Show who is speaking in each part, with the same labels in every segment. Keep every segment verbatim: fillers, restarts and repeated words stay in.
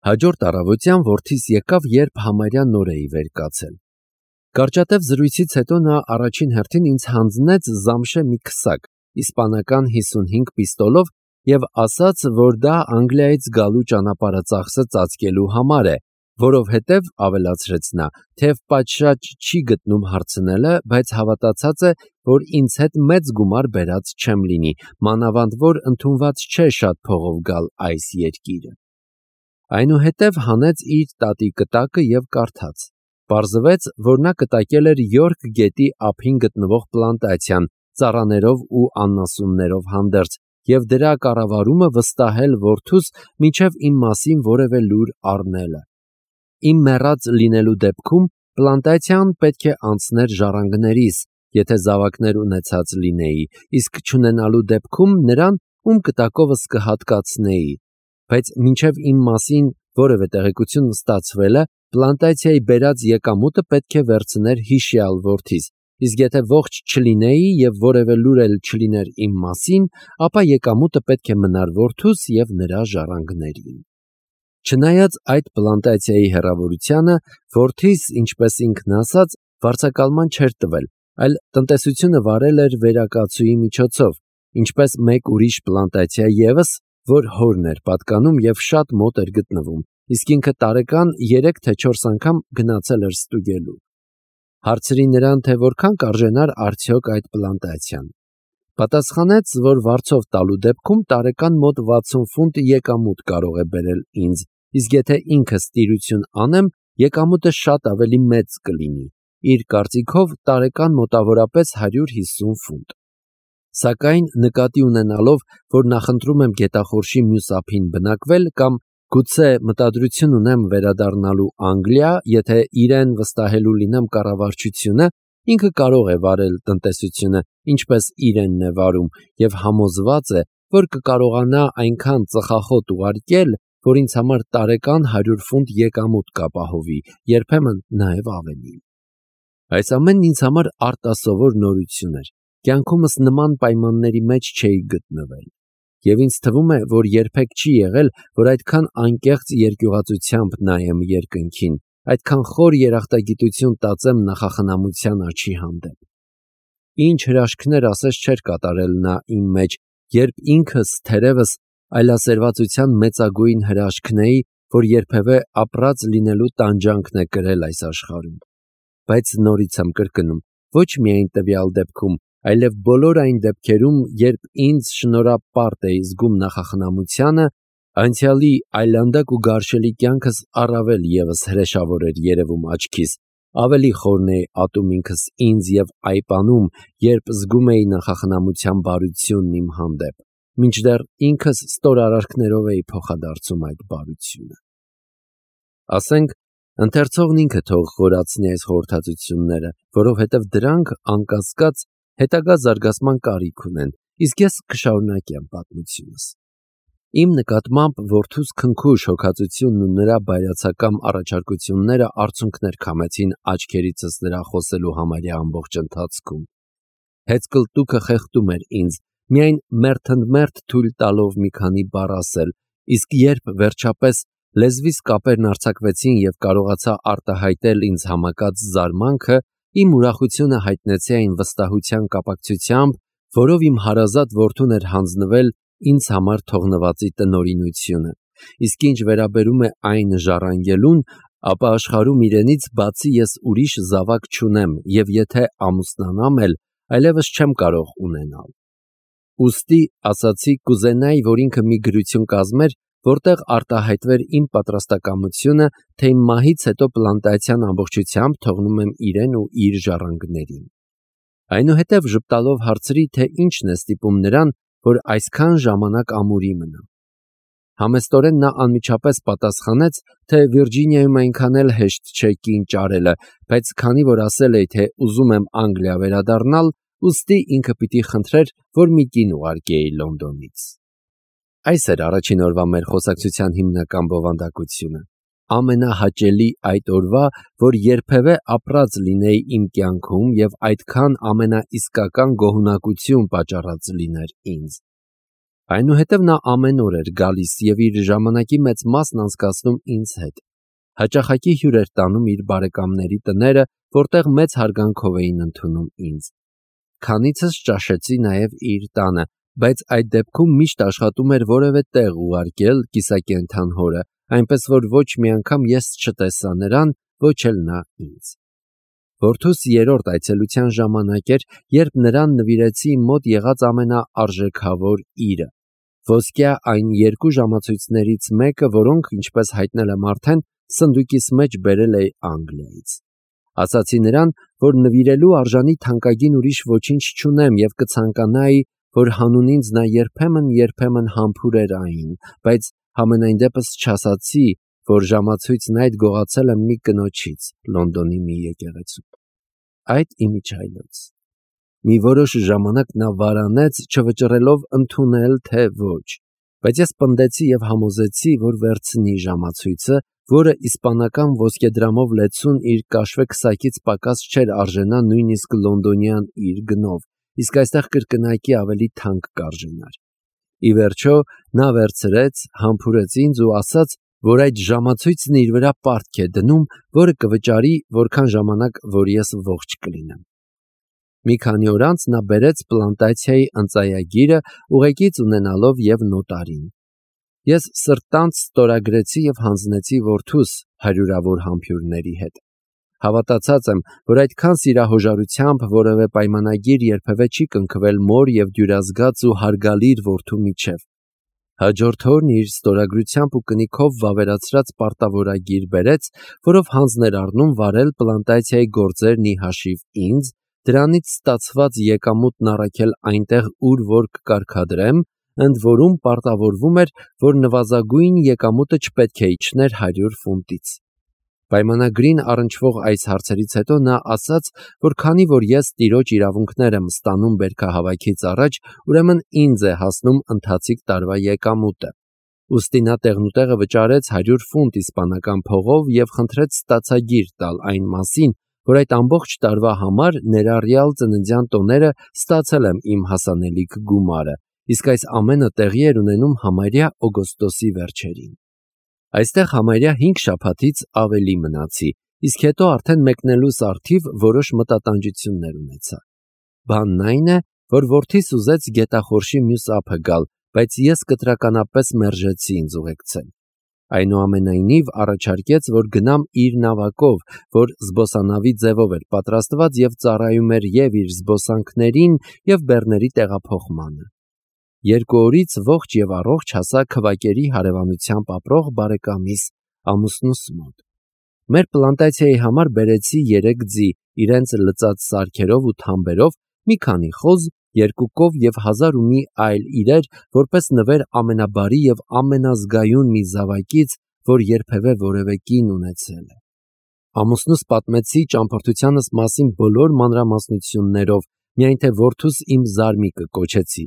Speaker 1: Հաջորդ առավոտյան որդիս եկավ, երբ համարյա նոր էի վեր կացել։ Կարճատև զրույցից հետո նա առաջին հերթին ինձ հանձնեց Զամշե մի քսակ, իսպանական հիսունհինգ պիստոլով և ասաց, որ դա Անգլիայից գալու ճանապարհը ծախսը ծածկելու համար է, որովհետև, ավելացրեց նա, թեև պատշաճ չի գտնում հարցնելը, բայց հավատացած է, որ ինձ հետ մեծ գումար բերած չեմ լինի, մանավանդ որ ընդունված չէ շատ փողով գալ այս երկիրը։ Այնուհետև հանեց իր տատի կտակը և կարդաց։ Պարզվեց, որ նա կտակել էր Յորք գետի ափին գտնվող պլանտացիան, ծառաներով ու անասուններով հանդերձ, և դրա կառավարումը վստահել որդուս, մինչև իմ մասին որևէ լուր առնելը։ Իմ մեռած լինելու դեպքում պլանտացիան պետք է անցներ ժառանգներիս, եթե զավակներ ունեցած լինեի, իսկ չունենալու դեպքում նրան, ում կտակովս կհատկացնեի, բայց մինչև իմ մասին որևէ տեղեկություն ստացվելը, պլանտացիայի բերած եկամուտը պետք է վերցներ հիշյալ որդիս, իսկ եթե ողջ չլինեի և որևէ լուր էլ չլիներ իմ մասին, ապա եկամուտը պետք է մնար որդուս և նրա ժառանգներին։ Չնայած այդ պլանտացիայի հեռավորությանը, որդիս, ինչպես ինքն ասաց, վարձակալման չէր տվել, այլ տնտեսությունը վարել էր վերակացուի միջոցով, ինչպես մեկ ուրիշ պլանտացիա ևս, որ հորն էր պատկանում և շատ մոտ էր գտնվում, իսկ ինքը տարեկան երեք թե չորս անգամ գնացել էր ստուգելու։ Հարցրի նրան, թե որքան կարժենար արդյոք այդ պլանտացիան։ Պատասխանեց, որ վարձով տալու դեպքում տարեկան մոտ վաթսուն ֆունտ եկամուտ կարող է բերել ինձ, իսկ եթե ինքս տիրություն անեմ, եկամուտը շատ ավելի մեծ կլինի, իր կարծիքով տարեկան մոտավորապես հարյուր հիսուն ֆունտ։ Սակայն նկատի ունենալով, որ նախընտրում եմ գետախորշի մյուս ափին բնակվել կամ գուցե մտադրություն ունեմ վերադառնալու Անգլիա, եթե իրեն վստահելու լինեմ կառավարչությունը, ինքը կարող է վարել տնտեսությունը, ինչպես իրենն է վարում, և համոզված է, որ կկարողանա այնքան ծխախոտ ուղարկել, որ ինձ համար տարեկան հարյուր ֆունտ եկամուտ կապահովի, երբեմն նաև ավելի։ Այս ամենն ինձ համար արտասովոր նորություն էր, կյանքումս նման պայմանների մեջ չէի գտնվել, և ինձ թվում է, որ երբեք չի եղել, որ այդքան անկեղծ երկյուղածությամբ նայեմ երկնքին, այդքան խոր երախտագիտություն տածեմ նախախնամության աչի հանդեպ։ Ինչ հրաշքներ ասես չէր կատարել նա իմ մեջ, երբ ինքս թերևս այլասերվածության մեծագույն հրաշքն էի, որ երբևէ ապրած լինելու տանջանքն է կրել այս աշխարհում։ Բայց նորից եմ կրկնում, ոչ միայն տվյալ դեպքում, այլև բոլոր այն դեպքերում, երբ ինձ շնորհապարտ էի զգում նախախնամությանը, անցյալի այլանդակ ու գարշելի կյանքս առավել ևս հրեշավոր էր երևում աչքիս, ավելի խորն էի ատում ինքս ինձ և այպանում, երբ զգում էի նախախնամության բարությունն իմ հանդեպ, մինչդեռ ինքս ստոր արարքներով էի փոխադարձում այդ բարությունը։ Ասենք, ընթերցողն ինքը թող խորացնի այս խորհրդածությունները, որովհետև դրանք, անկասկած, հետագա զարգացման կարիք ունեն, իսկ ես կշարունակեմ պատմությունս։ Իմ նկատմամբ որդուս քնքուշ հոգածությունն ու նրա բայրացակամ առաջարկությունները արցունքներ քամեցին աչքերիցս նրա խոսելու համարյա ամբողջ ընթացքում։ Հեծկլտուքը խեղդում էր ինձ, միայն մերթընդմերթ թույլ տալով մի քանի բառ ասել, իսկ երբ վերջապես լեզվիս կապերն արձակվեցին և կարողացա արտահայտել ինձ համակած զարմանքը, իմ ուրախությունը հայտնեցի այն վստահության կապակցությամբ, որով իմ հարազատ որդուն էր հանձնվել ինձ համար թողնվածի տնօրինությունը, իսկ ինչ վերաբերում է այն ժառանգելուն, ապա աշխարհում իրենից բացի ես ուրիշ զավակ չունեմ և եթե ամուսնանամ էլ, այլևս չեմ կարող ունենալ։ Ուստի ասացի կուզենայի, որ ինքը մի գրություն կազմեր, որտեղ արտահայտվեր իմ պատրաստակամությունը, թե իմ մահից հետո պլանտացիան ամբողջությամբ թողնում եմ իրեն ու իր ժառանգներին։ Այնուհետև ժպտալով հարցրի, թե ինչն է ստիպում նրան, որ այսքան ժամանակ ամուրի մնա։ Համեստորեն նա անմիջապես պատասխանեց, թե Վիրջինիայում այնքան էլ հեշտ չէ կին ճարելը, բայց քանի որ ասել էի, թե ուզում եմ Անգլիա վերադառնալ, ուստի ինքը պիտի խնդրեր, որ մի կին ուղարկեի Լոնդոնից։ Այս էր առաջին օրվա մեր խոսակցության հիմնական բովանդակությունը, ամենահաճելի այդ օրվա, որ երբևէ ապրած լինեի իմ կյանքում և այդքան ամենաիսկական գոհունակություն պատճառած լիներ ինձ։ Այնուհետև նա ամեն օր էր գալիս և իր ժամանակի մեծ մասն անցկացնում ինձ հետ։ Հաճախակի հյուր էր տանում իր բարեկամների տները, որտեղ մեծ հարգանքով էին ընդունում ինձ։ Քանիցս ճաշեցի նաև իր տանը, բայց այդ դեպքում միշտ աշխատում էր որևէ տեղ ուղարկել կիսակենդան հորը, այնպես որ ոչ մի անգամ ես չտեսա նրան, ոչ էլ նա ինձ։ Որդուս երրորդ այցելության ժամանակ էր, երբ նրան նվիրեցի իմ մոտ եղած ամենաարժեքավոր իրը՝ ոսկյա այն երկու ժամացույցներից մեկը, որոնք, ինչպես հայտնել եմ արդեն, սնդուկիս մեջ բերել էի Անգլիայից։ Ասացի նրան, որ նվիրելու արժանի թանկագին ուրիշ ոչինչ չունեմ և կցանկանայի, որ հանուն ինձ նա երբեմն-երբեմն համբուրեր այն, բայց համենայն դեպս չասացի, որ ժամացույցն այդ գողացել եմ մի կնոջից Լոնդոնի մի եկեղեցում։ Այդ իմիջիայլոց։ Մի որոշ ժամանակ նա վարանեց, չվճռելով ընդունել, թե ոչ, բայց ես պնդեցի և համոզեցի, որ վերցնի ժամացույցը, որը իսպանական ոսկեդրամով լեցուն իր կաշվե քսակից պակաս չէր արժենա նույնիսկ լոնդոնյան իր գնով, իսկ այստեղ կրկնակի ավելի թանկ կարժենար։ Ի վերջո նա վերցրեց, համբուրեց ինձ ու ասաց, որ այդ ժամացույցն իր վրա պարտք է դնում, որը կվճարի որքան ժամանակ, որ ես ողջ կլինեմ։ Մի քանի օր անց նա բերեց պլանտացիայի ընծայագիրը, ուղեկից ունենալով և նոտարին։ Ես սրտանց ստորագրեցի և հանձնեցի որդուս հարյուրավոր համբույրների հետ։ Հավատացած եմ, որ այդքան սիրահոժարությամբ որևէ պայմանագիր երբևէ չի կնքվել մոր և դյուրազգաց ու հարգալիր որդու միջև։ Հաջորդ օրն իր ստորագրությամբ ու կնիքով վավերացրած պարտավորագիր բերեց, որով հանձն էր առնում վարել պլանտացիայի գործերն ի հաշիվ ինձ, դրանից ստացված եկամուտն առաքել այնտեղ, ուր որ կկարգադրեմ, ընդ որում պարտավորվում էր, որ նվազագույն եկամուտը չպետք է իջներ հարյուր ֆունտից։ Պայմանագրին առնչվող այս հարցերից հետո նա ասաց, որ քանի որ ես տիրոջ իրավունքներ եմ ստանում բերքահավաքից առաջ, ուրեմն ինձ է հասնում ընթացիկ տարվա եկամուտը։ Ուստի նա տեղնուտեղը վճարեց հարյուր ֆունտ իսպանական փողով և խնդրեց ստացագիր տալ այն մասին, որ այդ ամբողջ տարվա համար, ներառյալ ծննդյան տոները, ստացել եմ իմ հասանելիք գումարը, իսկ այս ամենը տեղի էր ունենում համարյա օգոստոսի վերջերին։ Այստեղ համարյա հինգ շաբաթից ավելի մնացի, իսկ հետո արդեն մեկնելուս առթիվ որոշ մտատանջություններ ունեցա։ Բանն այն է, որ որդիս ուզեց գետախորշի մյուս ափը գալ, բայց ես կտրականապես մերժեցի ինձ ուղեկցել։ Այնուամենայնիվ առաջարկեց, որ գնամ իր նավակով, որ զբոսանավի ձևով էր պատրաստված և ծառայում էր և իր զբոսանքներին, և բեռների տեղափոխմանը։ Երկու օրից ողջ և առողջ հասա քվակերի հարևանությամբ ապրող բարեկամիս ամուսնուս մոտ։ Մեր պլանտացիայի համար բերեցի երեք ձի, իրենց լծած սարքերով ու թամբերով, մի քանի խոզ, երկու կով և հազար ու մի այլ իրեր, որպես նվեր ամենաբարի և ամենազգայուն մի զավակից, որ երբևէ որևէ կին ունեցել է։ Ամուսնուս պատմեցի ճամփորդությանս մասին բոլոր մանրամասնություններով, միայն թե որդուս իմ զարմիկը կոչեցի։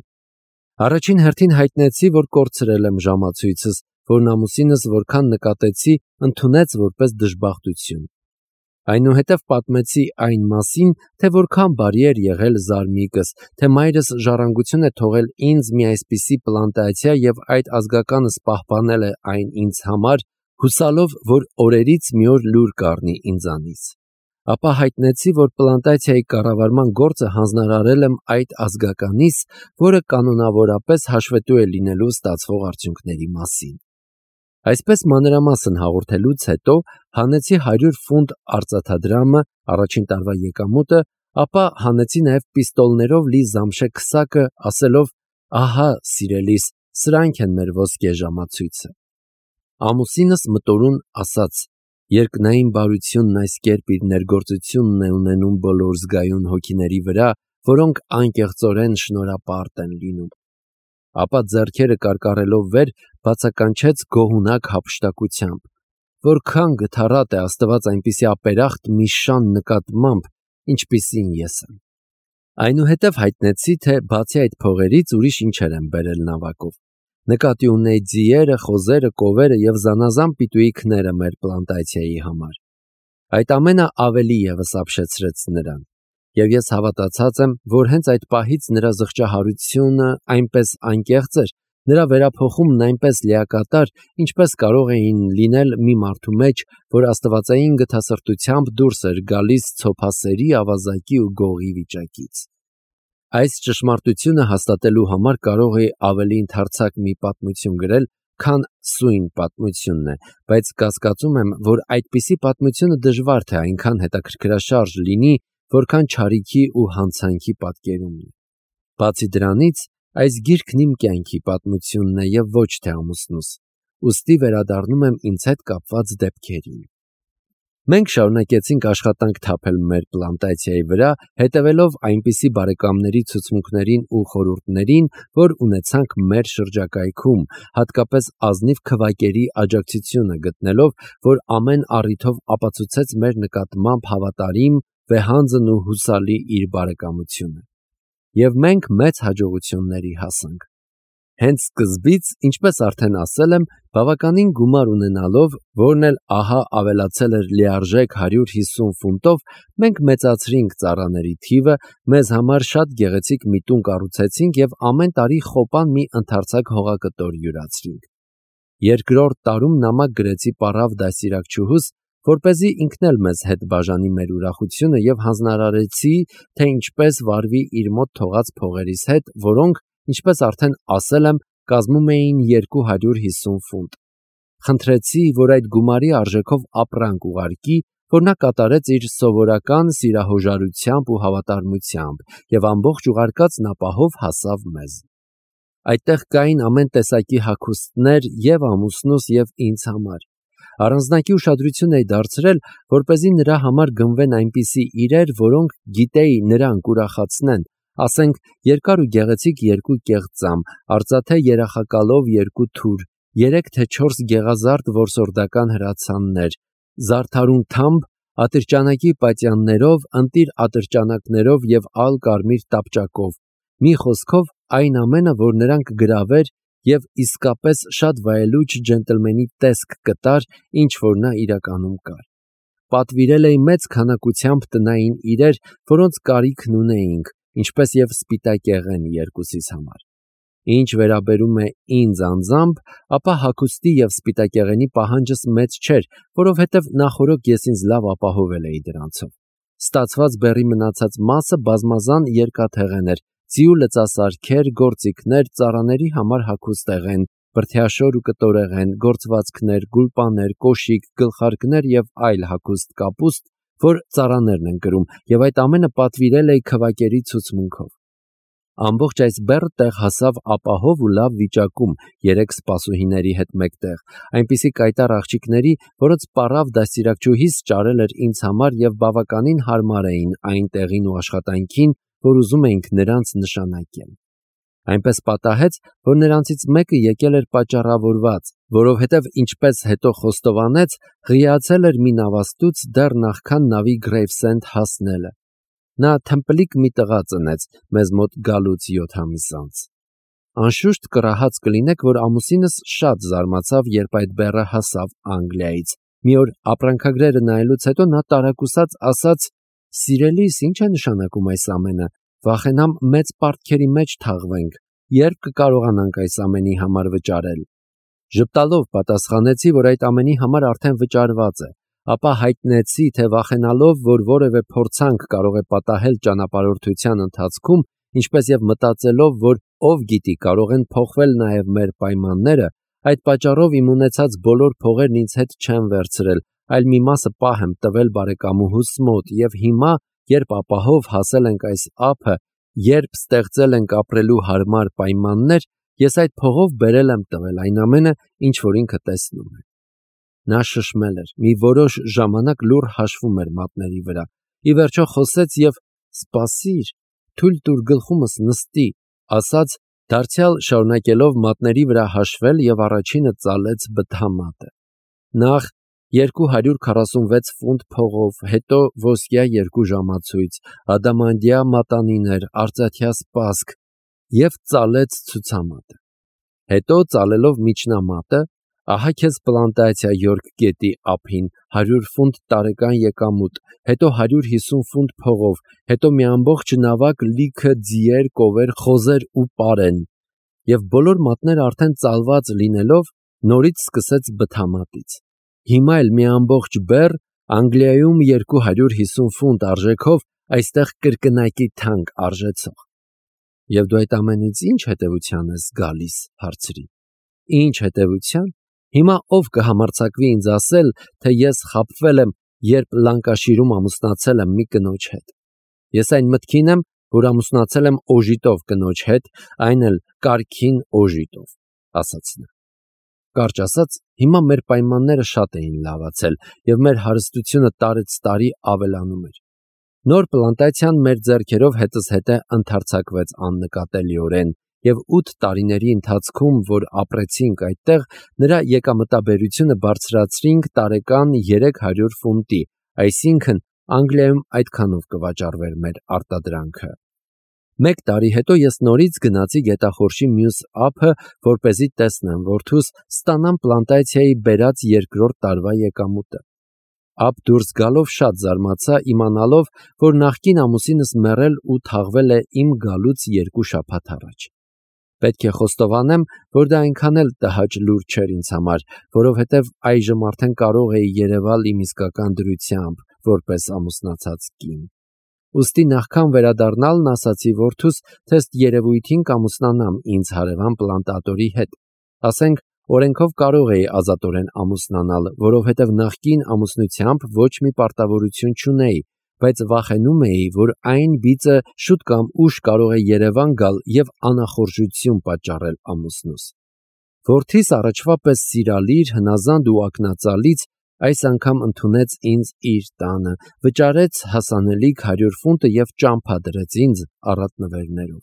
Speaker 1: Առաջին հերթին հայտնեցի, որ կորցրել եմ ժամացույցս, որն ամուսինս որքան նկատեցի, ընդունեց որպես դժբախտություն։ Այնուհետև պատմեցի այն մասին, թե որքան բարի էր եղել զարմիկս, թե մայրս ժառանգություն է թողել ինձ մի այսպիսի պլանտացիա և այդ ազգականս պահպանել է այն ինձ համար, հուսալով, որ օրերից մի օր լուր կառնի ինձանից։ Ապա հայտնեցի, որ պլանտացիայի կառավարման գործը հանձնարարել եմ այդ ազգականից, որը կանոնավորապես հաշվետու է լինելու ստացվող արդյունքների մասին։ Այսպես մանրամասն հաղորդելուց հետո հանեցի հարյուր ֆունտ արծաթադրամը, առաջին տարվա եկամուտը, ապա հանեցի նաև պիստոլներով լի զամշե քսակը, ասելով. «Ահա, սիրելիս, սրանք են մեր ոսկե ժամացույցը»։ Ամուսինս մտորուն ասաց. «Երկնային բարությունն այս կերպ իր ներգործությունն է ունենում բոլոր զգայուն հոգիների վրա, որոնք անկեղծորեն շնորհապարտ են լինում»։ Ապա ձեռքերը կարկառելով վեր, բացականչեց գոհունակ հափշտակությամբ. «Որքան գթառատ է Աստված այնպիսի ապերախտ մի շան նկատմամբ, ինչպիսին ես եմ»։ Այնուհետև հայտնեցի, թե բացի այդ փողերից ուրիշ ինչեր եմ բերել նավակով։ Նկատի ունեի ձիերը, խոզերը, կովերը և զանազան պիտույիքները մեր պլանտացիայի համար։ Այդ ամենը ավելի ևս ապշեցրեց նրան, և ես հավատացած եմ, որ հենց այդ պահից նրա զղջահարությունը այնպես անկեղծ էր, Նրա վերափոխումն այնպես լիակատար, ինչպես կարող էին լինել մի մարդու մեջ, որ աստվածային գթասրտությամբ դուրս էր գալիս ցոփասերի, ավազակի ու գողի վիճակից։ Այս ճշմարտությունը հաստատելու համար կարող է ավելի ընդարձակ մի պատմություն գրել, քան սույն պատմությունն է, բայց կասկածում եմ, որ այդպիսի պատմությունը դժվար թե այնքան հետաքրքրաշարժ լինի, որքան չարիքի ու հանցանքի պատկերումն է։ Բացի դրանից, այս գիրքն իմ կյանքի պատմությունն է և ոչ թե ամուսնուս, ուստի վերադառնում եմ ինձ հետ կապված դեպքերին։ Մենք շարունակեցինք աշխատանք թափել մեր պլանտացիայի վրա, հետևելով այնպիսի բարեկամների ցուցմունքներին ու խորհուրդներին, որ ունեցանք մեր շրջակայքում, հատկապես ազնիվ քվակերի աջակցությունը գտնելով, որ ամեն առիթով ապացուցեց մեր նկատմամբ հավատարիմ, վեհանձն ու հուսալի իր բարեկամությունը։ Եվ մենք մեծ հաջողությունների հասանք։ Հենց սկզբից, ինչպես արդեն ասել եմ, բավականին գումար ունենալով, որն էլ ահա ավելացել էր լիարժեք հարյուր հիսուն ֆունտով, մենք մեծացրինք ծառաների թիվը, մեզ համար շատ գեղեցիկ մի տուն կառուցեցինք և ամեն տարի խոպան մի ընդարձակ հողակտոր յուրացրինք։ Երկրորդ տարում նամակ գրեցի պառավ դաստիարակչուհուս, որպեսզի ինքն էլ մեզ հետ բաժանի մեր ուրախությունը և հանձնարարեցի, թե ինչպես վարվի իր մոտ թողած փողերիս հետ, որոնք, ինչպես արդեն ասել եմ, կազմում էին երկու հարյուր հիսուն ֆունտ։ Խնդրեցի, որ այդ գումարի արժեքով ապրանք ուղարկի, որ նա կատարեց իր սովորական սիրահոժարությամբ ու հավատարմությամբ և ամբողջ ուղարկածն ապահով հասավ մեզ։ Այդտեղ կային ամեն տեսակի հագուստներ և ամուսնուս և ինձ համար։ Առանձնակի ուշադրություն էի դարձրել, որպեսզի նրա համար գնվեն այնպիսի իրեր, որոնք գիտեի նրան կուրախացնեն, ասենք երկար ու գեղեցիկ երկու կեղծամ, արծաթե երախակալով երկու թուր, երեք թե չորս գեղազարդ որսորդական հրացաններ, զարդարուն թամբ, ատրճանակի պատյաններով, ընտիր ատրճանակներով և ալ կարմիր տապճակով, մի խոսքով այն ամենը, որ նրան կգրավեր և իսկապես շատ վայելուչ ջենտլմենի տեսք կտար, ինչ որ նա իրականում կար։ Պատվիրել էի մեծ քանակությամբ տնային իրեր, որոնց կարիքն ունեինք, ինչպես և սպիտակեղեն երկուսիս համար։ Ինչ վերաբերում է ինձ անձամբ, ապա հագուստի և սպիտակեղենի պահանջս մեծ չէր, որովհետև նախօրոք ես ինձ լավ ապահովել էի դրանցով։ Ստացված բեռի մնացած մասը բազմազան երկաթեղեն էր, ձիու լծասարքեր, գործիքներ, ծառաների համար հագուստեղեն, բրդյաշոր ու կտորեղեն, գործվածքներ, գուլպաներ, կոշիկ, գլխարկներ և այլ հագուստ կապուստ, որ ծառաներն են կրում, և այդ ամենը պատվիրել էի քվակերի ցուցմունքով։ Ամբողջ այս բեռը տեղ հասավ ապահով ու լավ վիճակում, երեք սպասուհիների հետ մեկտեղ, այնպիսի կայտառ աղջիկների, որոնց պառավ դաստիարակչուհիս ճարել էր ինձ համար և բավականին հարմար էին այն տեղին ու աշխատանքին, որ ուզում էինք նրանց նշանակել։ Այնպես պատահեց, որ նրանցից մեկը եկել էր պատճառավորված, որովհետև ինչպես հետո խոստովանեց, ղիացել էր մի նավաստուց դեռ նախքան նավի Գրեյվսենդ հասնելը։ Նա թմպլիկ մի տղա ծնեց մեզ մոտ գալուց յոթ ամիս անց։ Անշուշտ կռահած կլինեք, որ ամուսինս շատ զարմացավ, երբ այդ բեռը հասավ Անգլիայից։ Մի օր ապրանքագրերը նայելուց հետո նա տարակուսած ասաց. «Սիրելիս, ի՞նչ է նշանակում այս ամենը, վախենամ մեծ պարտքերի մեջ թաղվենք, երբ կկարողանանք այս ամենի համար վճարել»։ Ժպտալով պատասխանեցի, որ այդ ամենի համար արդեն վճարված է, ապա հայտնեցի, թե վախենալով, որ որևէ փորձանք կարող է պատահել ճանապարհորդության ընթացքում, ինչպես և մտածելով, որ ով գիտի կարող են փոխվել նաև մեր պայմանները, այդ պատճառով իմ ունեցած բոլոր փողերն ինձ հետ չեմ վերցրել, այլ մի մասը պահ եմ տվել բարեկամուհուս մոտ, և հիմա, երբ ապահով հասել ենք այս ափը, երբ ստեղծել ենք ապրելու հարմար պայմաններ, ես այդ փողով բերել եմ տվել այն ամենը, ինչ որ ինքը տեսնում է։ Նա շշմել էր, մի որոշ ժամանակ լուռ հաշվում էր մատների վրա, ի վերջո խոսեց և «Սպասիր, թույլ տուր գլխումս նստի», ասաց, դարձյալ շարունակելով մատների վրա հաշվել և առաջինը ծալեց բթամատը։ Նախ երկու հարյուր քառասունվեց ֆունտ փողով, հետո ոսկյա երկու ժամացույց, ադամանդյա մատանիներ, արծաթյա սպասք և ծալեց ցուցամատը։ Հետո ծալելով միջնամատը, ահա քեզ պլանտացիա Յորք գետի ափին, հարյուր ֆունտ տարեկան եկամուտ, հետո հարյուր հիսուն ֆունտ փողով, հետո մի ամբողջ նավակ լիքը ձիեր, կովեր, խոզեր ու պարեն, եւ բոլոր մատները արդեն ծալված լինելով նորից սկսեց բթամատից։ Հիմա էլ մի ամբողջ բեռ Անգլիայում երկու հարյուր հիսուն ֆունտ արժեքով այստեղ կրկնակի թանկ արժեցող։ Եվ դու այդ ամենից ինչ հետևության ես գալիս, հարցրի։ Ինչ հետևության։ Հիմա ով կհամարձակվի ինձ ասել, թե ես խաբվել եմ, երբ Լանկաշիրում ամուսնացել եմ մի կնոջ հետ։ Ես այն մտքին եմ, որ ամուսնացել եմ օժիտով կնոջ հետ, այն էլ կարգին օժիտով, ասաց նա։ Կարճ ասած, հիմա մեր պայմանները շատ էին լավացել, եւ մեր հարստությունը տարեց տարի ավելանում էր։ Նոր պլանտացիան մեր ձեռքերով հետս հետե ընդարձակվեց աննկատելիորեն, եւ ութ տարիների ընթացքում, որ ապրեցինք այդտեղ, նրա եկամտաբերությունը բարձրացրինք տարեկան երեք հարյուր ֆունտի, այսինքն Անգլիայում այդքանով կվաճառվեր մեր արտադրանքը։ Մեկ տարի հետո ես նորից գնացի գետախորշի մյուս ափը, որպեսզի տեսնեմ որդուս, ստանամ պլանտացիայի բերած երկրորդ տարվա եկամուտը։ Ափ դուրս գալով շատ զարմացա, իմանալով, որ նախկին ամուսինս մեռել ու թաղվել է իմ գալուց երկու շաբաթ առաջ։ Պետք է խոստովանեմ, որ դա այնքան էլ տհաճ լուր չէր ինձ համար, որովհետև այժմ արդեն կարող էի երևալ իմ իսկական դրությամբ, որպես ամուսնացած կին։ Ուստի նախքան վերադառնալն ասացի որդուս, թե ըստ երևույթին կամուսնանամ ինձ հարևան պլանտատորի հետ։ Ասենք, օրենքով կարող էի ազատորեն ամուսնանալ, որովհետև նախկին ամուսնությամբ ոչ մի պարտավորություն չունեի, բայց վախենում էի, որ այն բիծը շուտ կամ ուշ կարող է Երևան գալ եւ անախորժություն պատճառել ամուսնուս։ Որդիս առաջվա պես սիրալիր, հնազանդ ու ակնածալից այս անգամ ընդունեց ինձ իր տանը, վճարեց հասանելիք հարյուր ֆունտը եւ ճամփա դրեց ինձ առատնվերներով։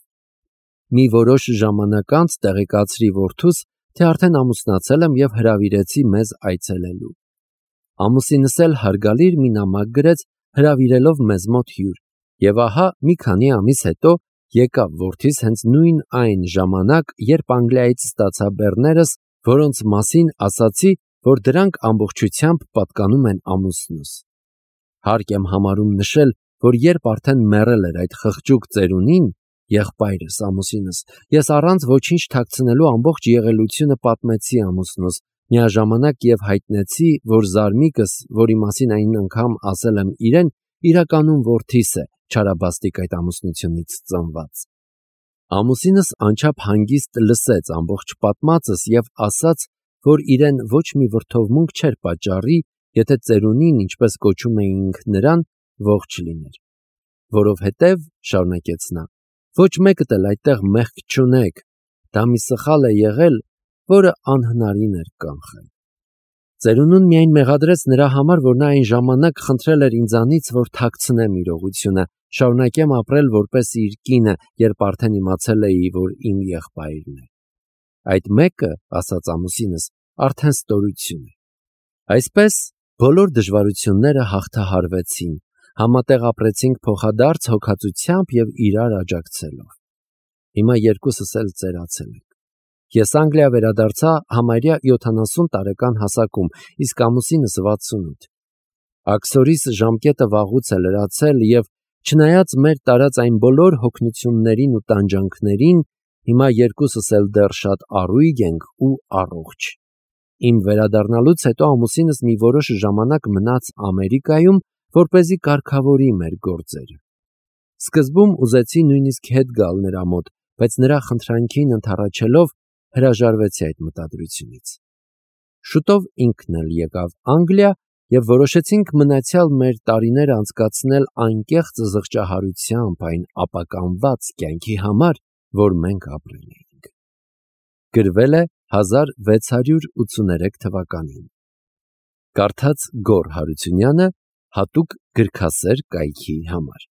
Speaker 1: Մի որոշ ժամանակ անց տեղեկացրի որդուս, թե արդեն ամուսնացել եմ եւ հրավիրեցի մեզ այցելելու։ Ամուսինս էլ հարգալիր մի նամակ գրեց, հրավիրելով մեզ մոտ հյուր, եւ ահա մի քանի ամիս հետո եկավ որդիս հենց նույն այն ժամանակ, երբ Անգլիայից ստացա բեռներս, որոնց մասին ասացի, որ դրանք ամբողջությամբ պատկանում են ամուսնուս։ Հարկ եմ համարում նշել, որ երբ արդեն մեռել էր այդ խղճուկ ծերունին, եղբայրս ամուսինս, ես առանց ոչինչ թաքցնելու ամբողջ եղելությունը պատմեցի ամուսնուս, միաժամանակ եւ հայտնեցի, որ զարմիկս, որի մասին այն անգամ ասել եմ իրեն, իրականում որդիս է, չարաբաստիկ այդ ամուսնությունից ծնված։ Ամուսինս անչափ հանգիստ լսեց ամբողջ պատմածս եւ ասաց, որ իրեն ոչ մի վրդովմունք չէր պատճառի, եթե ծերունին, ինչպես կոչում էինք նրան, ողջ լիներ։ Որովհետև, շարունակեց նա, ոչ մեկդ էլ այդտեղ մեղք չունեք, դա մի սխալ է եղել, որը անհնարին էր կանխել։ Ծերունուն միայն մեղադրեց նրա համար, որ նա այն ժամանակ խնդրել էր ինձանից, որ թաքցնեմ իրողությունը, շարունակեմ ապրել որպես իր կինը, երբ արդեն իմացել էի, որ իմ եղբայրն է։ Այդ մեկը, ասաց ամուսինս, արդեն ստորություն է։ Այսպես բոլոր դժվարությունները հաղթահարվեցին, համատեղ ապրեցինք փոխադարձ հոգածությամբ եւ իրար աջակցելով։ Հիմա երկուսս էլ ծերացել ենք։ Ես Անգլիա վերադարձա համարյա յոթանասուն տարեկան հասակում, իսկ ամուսինս վաթսունութ։ Աքսորիս ժամկետը վաղուց է լրացել եւ չնայած մեր տարած այն բոլոր հոգնություններին ու տանջանքներին, հիմա երկուսս էլ դեռ շատ առույգ ենք ու առողջ։ Իմ վերադառնալուց հետո ամուսինս մի որոշ ժամանակ մնաց Ամերիկայում, որպեսզի կարգավորի մեր գործերը։ Սկզբում ուզեցի նույնիսկ հետ գալ նրա մոտ, բայց նրա խնդրանքին ընդառաջելով հրաժարվեցի այդ մտադրությունից։ Շուտով ինքն էլ եկավ Անգլիա եւ որոշեցինք մնացյալ մեր տարիները անցկացնել անկեղծ զղջահարությամբ այն ապականված կյանքի համար, որ մենք ապրել էինք։ Գրվել է հազար վեց հարյուր ութսուներեք թվականին։ Կարդաց Գոռ Հարությունյանը հատուկ գրքասեր կայքի համար։